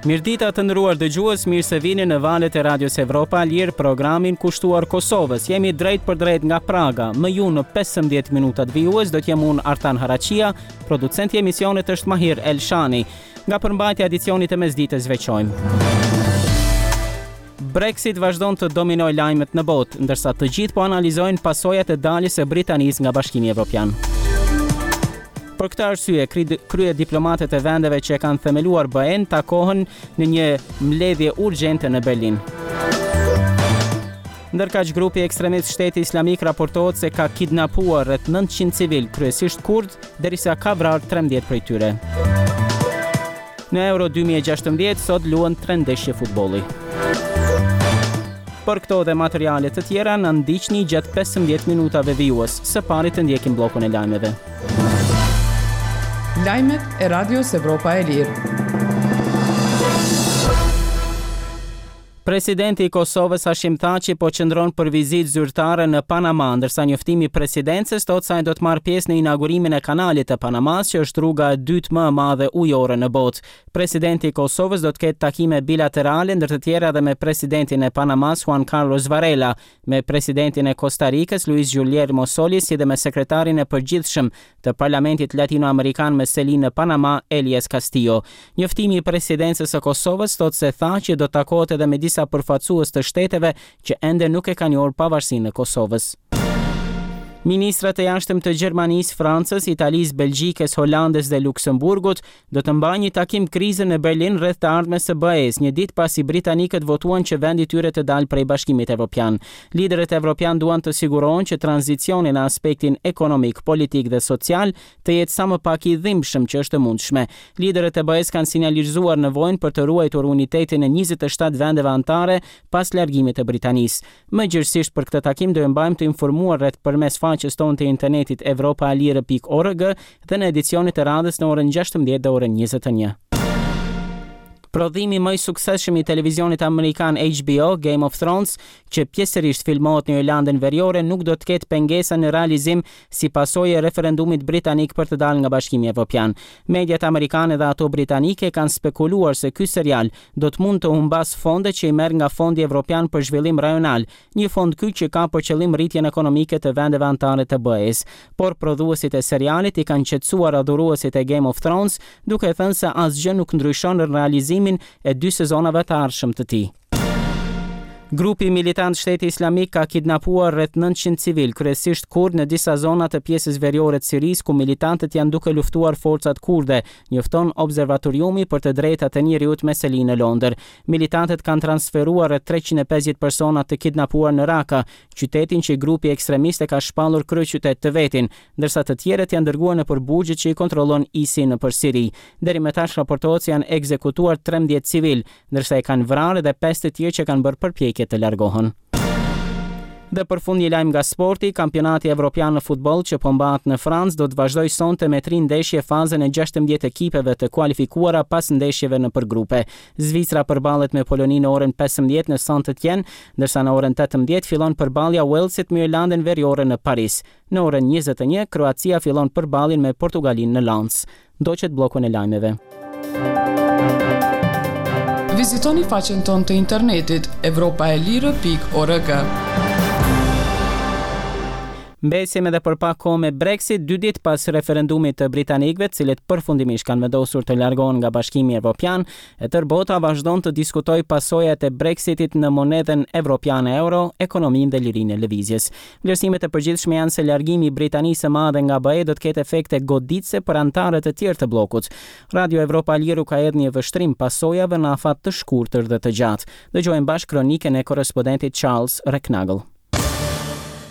Mirëdita të nderuar dëgjues, mirë se vini në valët e Radios Evropa e Lirë, programin kushtuar Kosovës. Jemi drejtpërdrejt nga Praga. Me ju në 15 minutat vijues do të jem unë Artan Haraqia, producenti i emisionit është Mahir Elshani. Nga përmbajtja e edicionit të mesditës veçojmë. Brexit vazhdon të dominojë lajmet në botë, ndërsa të gjithë po analizojnë pasojat e daljes së Britanisë nga Bashkimi Evropian. Për këtë arsye, kryediplomatët e vendeve që e kanë themeluar BE-në takohen në një mbledhje urgjente në Berlin. Ndërkaq grupi ekstremist Shteti Islamik raportohet se ka kidnapuar rreth 900 civilë, kryesisht kurdë, derisa ka vrarë 13 prej tyre. Në Euro 2016 sot luhen tre ndeshje futbolli. Për këto dhe materiale të tjera na ndiqni gjatë 15 minutave vijues. Së pari të ndjekim bllokun e lajmeve. Lajmet e Radios Evropa e Lirë. Presidenti i Kosovës Hashim Thaçi po qëndron për vizitë zyrtare në Panama, ndërsa njoftimi i presidencës thotë se ai do të marrë pjesë në inaugurimin e Kanalit të Panamasë, që është rruga e dytë më e madhe ujore në botë. Presidenti i Kosovës do të ketë takime bilaterale, ndër të tjera edhe me presidentin e Panamasë, Juan Carlos Varela, me presidentin e Kosta Rikës, Luis Guillermo Solis, si dhe me sekretarin e përgjithshëm të Parlamentit Latinoamerikan me seli në Panama, Elias Castillo. Njoftimi i Presidencës së Kosovës thotë se Thaçi do të takohet edhe me disa përfaqësues të shteteve që ende nuk e kanë njohur pavarësinë e Kosovës. Ministrat e jashtëm të Gjermanisë, Francës, Italisë, Belgjikës, Holandës dhe Luksemburgut do të mbajnë një takim krize në Berlin rreth të ardhmes së BE-së, një ditë pasi britanikët votuan që vendi i tyre të dalë prej Bashkimit Evropian. Liderët evropianë duan të sigurohen që tranzicioni në aspektin ekonomik, politik dhe social të jetë sa më pak i dhimbshëm që është e mundshme. Liderët e BE-së kanë sinjalizuar nevojën për të ruajtur unitetin e 27 vendeve anëtare pas largimit të Britanisë. Më gjerësisht për këtë takim do ju mbajmë të informuar rreth përmes faqes tonë të internetit evropaelire.org dhe në edicionet e radhës në orën 16 dhe orën 21. Prodhimi më i suksesshëm i televizionit amerikan HBO, Game of Thrones, që pjesërisht filmohet në Irlandën Veriore, nuk do të ketë pengesa në realizim si pasojë e referendumit britanik për të dalë nga Bashkimi Evropian. Mediat amerikane dhe ato britanike kanë spekuluar se ky serial do të mund të humbasë fonde që i merr nga Fondi Evropian për Zhvillim Rajonal, një fond ky që ka për qëllim rritjen ekonomike të vendeve anëtare të BE-së. Por prodhuesit e serialit i kanë qetësuar adhuruesit e Game of Thrones, duke thënë se asgjë nuk ndryshon në realizimin e dy sezonave të ardhshëm të tij. Grupi militant Shteti Islamik ka kidnapuar rreth 900 civilë, kryesisht kurdë në disa zona të pjesës veriore të Sirisë ku militantët janë duke luftuar forcat kurde, njofton Observatoriumi për të Drejtat e Njeriut me seli në Londër. Militantët kanë transferuar rreth 350 persona të kidnapuar në Raka, qytetin që grupi ekstremist e ka shpallur kryeqytet të vetin, ndërsa të tjerët janë dërguar nëpër burgjet që i kontrollon ISI nëpër Siri. Deri më tash raportohet se janë ekzekutuar 13 civilë, ndërsa i kanë vrarë edhe 5 të tjerë që kanë bërë përpjekje të largohen. Dhe për fund një lajm nga sporti, kampionati evropian në futboll që po mbahet në Francë do të vazhdojë sonte me tri ndeshje fazën e 16 ekipeve të kualifikuara pas ndeshjeve nëpër grupe. Zvicra përballet me Poloninë në orën 15 në Saint-Étienne, ndërsa në orën 18 fillon përballja Walesit me Irlandën Veriore në Paris. Në orën 21, Kroacia fillon përballjen me Portugalinë në Lens. Ndoqët bllokun e lajmeve. Vizitoni faqen tonë të internetit evropaelire.org. Mbesim edhe për pak kohë me Brexit, dy ditë pas referendumit të britanikëve, të cilët përfundimisht kanë vendosur të largohen nga Bashkimi Evropian, e tërë bota vazhdon të diskutojë pasojat e Brexitit në monedhën evropiane euro, ekonominë dhe lirinë e lëvizjes. Vlerësimet e përgjithshme janë se largimi i Britanisë së Madhe nga BE do të ketë efekte goditëse për anëtarët e tjerë të bllokut. Radio Evropa e Lirë u ka hedhur një vështrim pasojave në afat të shkurtër dhe të gjatë. Dëgjojmë bashkë kronikën e korrespondentit Charles Recknagel.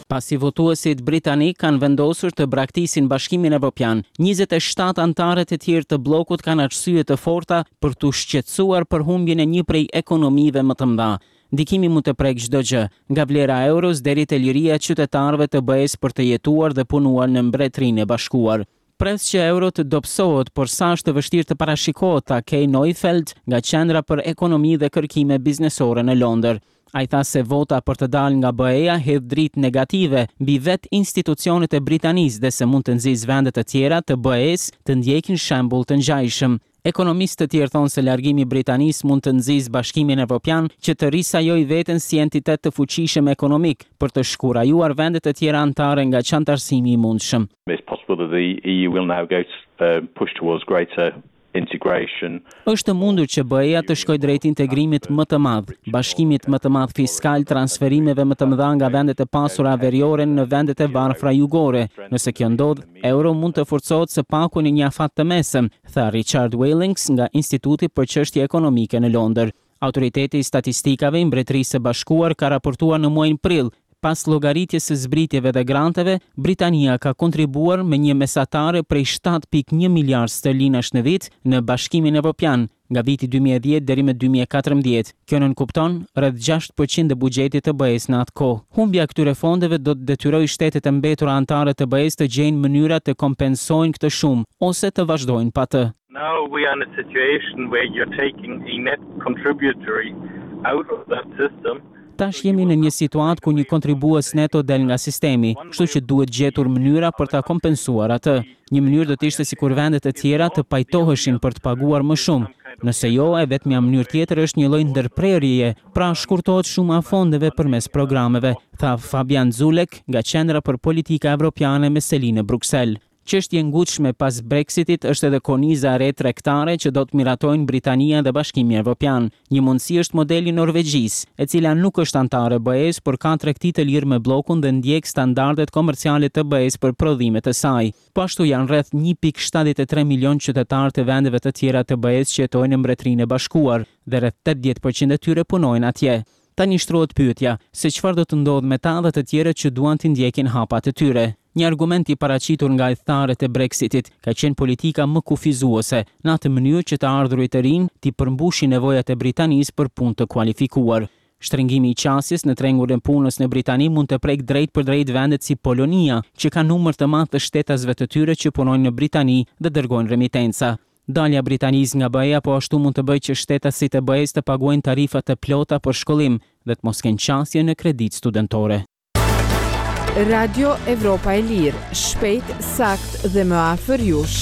Pasi votuesit britanikë kanë vendosur të braktisin Bashkimin Evropian, 27 anëtarët e tjerë të bllokut kanë arsye të forta për t'u shqetësuar për humbjen e një prej ekonomive më të mëdha. Ndikimi mund të prekë çdo gjë, nga vlera e euros deri te liria e qytetarëve të BE-së për të jetuar dhe punuar në Mbretërinë e Bashkuar. Pres që euro të dobësohet, por sa është e vështirë të parashikohet, tha Kay Neufeld nga Qendra për Ekonomi dhe Kërkime Biznesore në Londër. Ai tha se vota për të dalë nga BE-ja hedh dritë negative mbi vetë institucionet e Britanisë dhe se mund të nxisë vende të tjera të BE-së të ndjekin shembull të ngjashëm. Ekonomistë të tjerë thonë se largimi i Britanisë mund të nxisë Bashkimin Evropian që të risajojë veten si entitet të fuqishëm ekonomik, për të shkurajuar vendet e tjera anëtare nga çanëtarësimi i mundshëm. It's possible that the EU will now go to push towards greater integration. Është e mundur që BE-ja të shkojë drejt integrimit më të madh, bashkimit më të madh fiskal, transferimeve më të mëdha nga vendet e pasura veriore në vendet e varfra jugore. Nëse kjo ndodh, euro mund të forcohet së paku në një afat të mesëm, tha Richard Wellings nga Instituti për Çështje Ekonomike në Londër. Autoriteti i Statistikave i Mbretërisë së Bashkuar ka raportuar në muajin prill, pas llogaritjes së zbritjeve dhe granteve, Britania ka kontribuar me një mesatare prej 7.1 miliardë sterlinash në vit në Bashkimin Evropian, nga viti 2010 deri më 2014. Kjo nënkupton rreth 6% e buxhetit të BE-së në atë kohë. Humbja e këtyre fondeve do të detyrojë shtetet e mbetura anëtare të BE-së të gjejnë mënyra të kompensojnë këtë shumë ose të vazhdojnë pa të. Now we are in a situation where you're taking a net contributory out of that system. Tash jemi në një situatë ku një kontribues neto del nga sistemi, kështu që duhet gjetur mënyra për ta kompensuar atë. Një mënyrë do të ishte sikur vendet e tjera të pajtoheshin për të paguar më shumë. Nëse jo, e vetmja mënyrë tjetër është një lloj ndërprerjeje, pra shkurtohet shuma e fondeve përmes programeve, tha Fabian Zuleeg nga Qendra për Politika Evropiane me seli në Bruksel. Çështje e ngutshme pas Brexitit është edhe korniza e re tregtare që do të miratojnë Britania dhe Bashkimi Evropian. Një mundësi është modeli i Norvegjisë, e cila nuk është anëtare e BE-së, por ka tregti të lirë me bllokun dhe ndjek standardet komerciale të BE-së për prodhimet e saj. Po ashtu janë rreth 1.73 milion qytetarë të vendeve të tjera të BE-së që jetojnë në Mbretërinë e Bashkuar dhe rreth 80% e tyre punojnë atje. Tani shtrohet pyetja se çfarë do të ndodhë me ta dhe të tjerët që duan t'i ndjekin hapat e tyre. Një argument i paraqitur nga ithtarët e Brexitit ka qenë politika më kufizuese, në atë mënyrë që të ardhurit e rinj t'i përmbushin nevojat e Britanisë për punë të kualifikuar. Shtrëngimi i qasjes në tregun e punës në Britani mund të prekë drejtpërdrejt vendet si Polonia, që ka numër të madh të shtetasve të tyre që punojnë në Britani dhe dërgojnë remitenca. Dalja e Britanisë nga BE-ja po ashtu mund të bëjë që shtetasit e BE-së të paguajnë tarifa të plota për shkollim dhe të mos kenë qasje në kreditë studentore. Radio Evropa e Lirë, shpejt, saktë dhe më afër jush.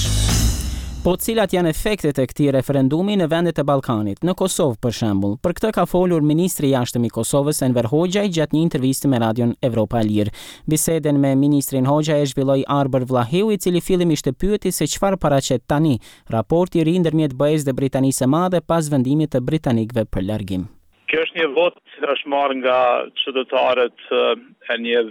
Po cilat janë efektet e këtij referendumi në vendet e Ballkanit, në Kosovë për shembull? Për këtë ka folur ministri i Jashtëm i Kosovës Enver Hoxhaj gjatë një interviste me Radion Evropa e Lirë. Bisedën me ministrin Hoxhaj e zhvilloi Arbër Vllahiu, i cili fillimisht e pyeti se çfarë paraqet tani raporti i ri ndërmjet BE-së dhe Britanisë së Madhe pas vendimit të britanikëve për largim. Kjo është një votë që është marrë nga qytetarët e një.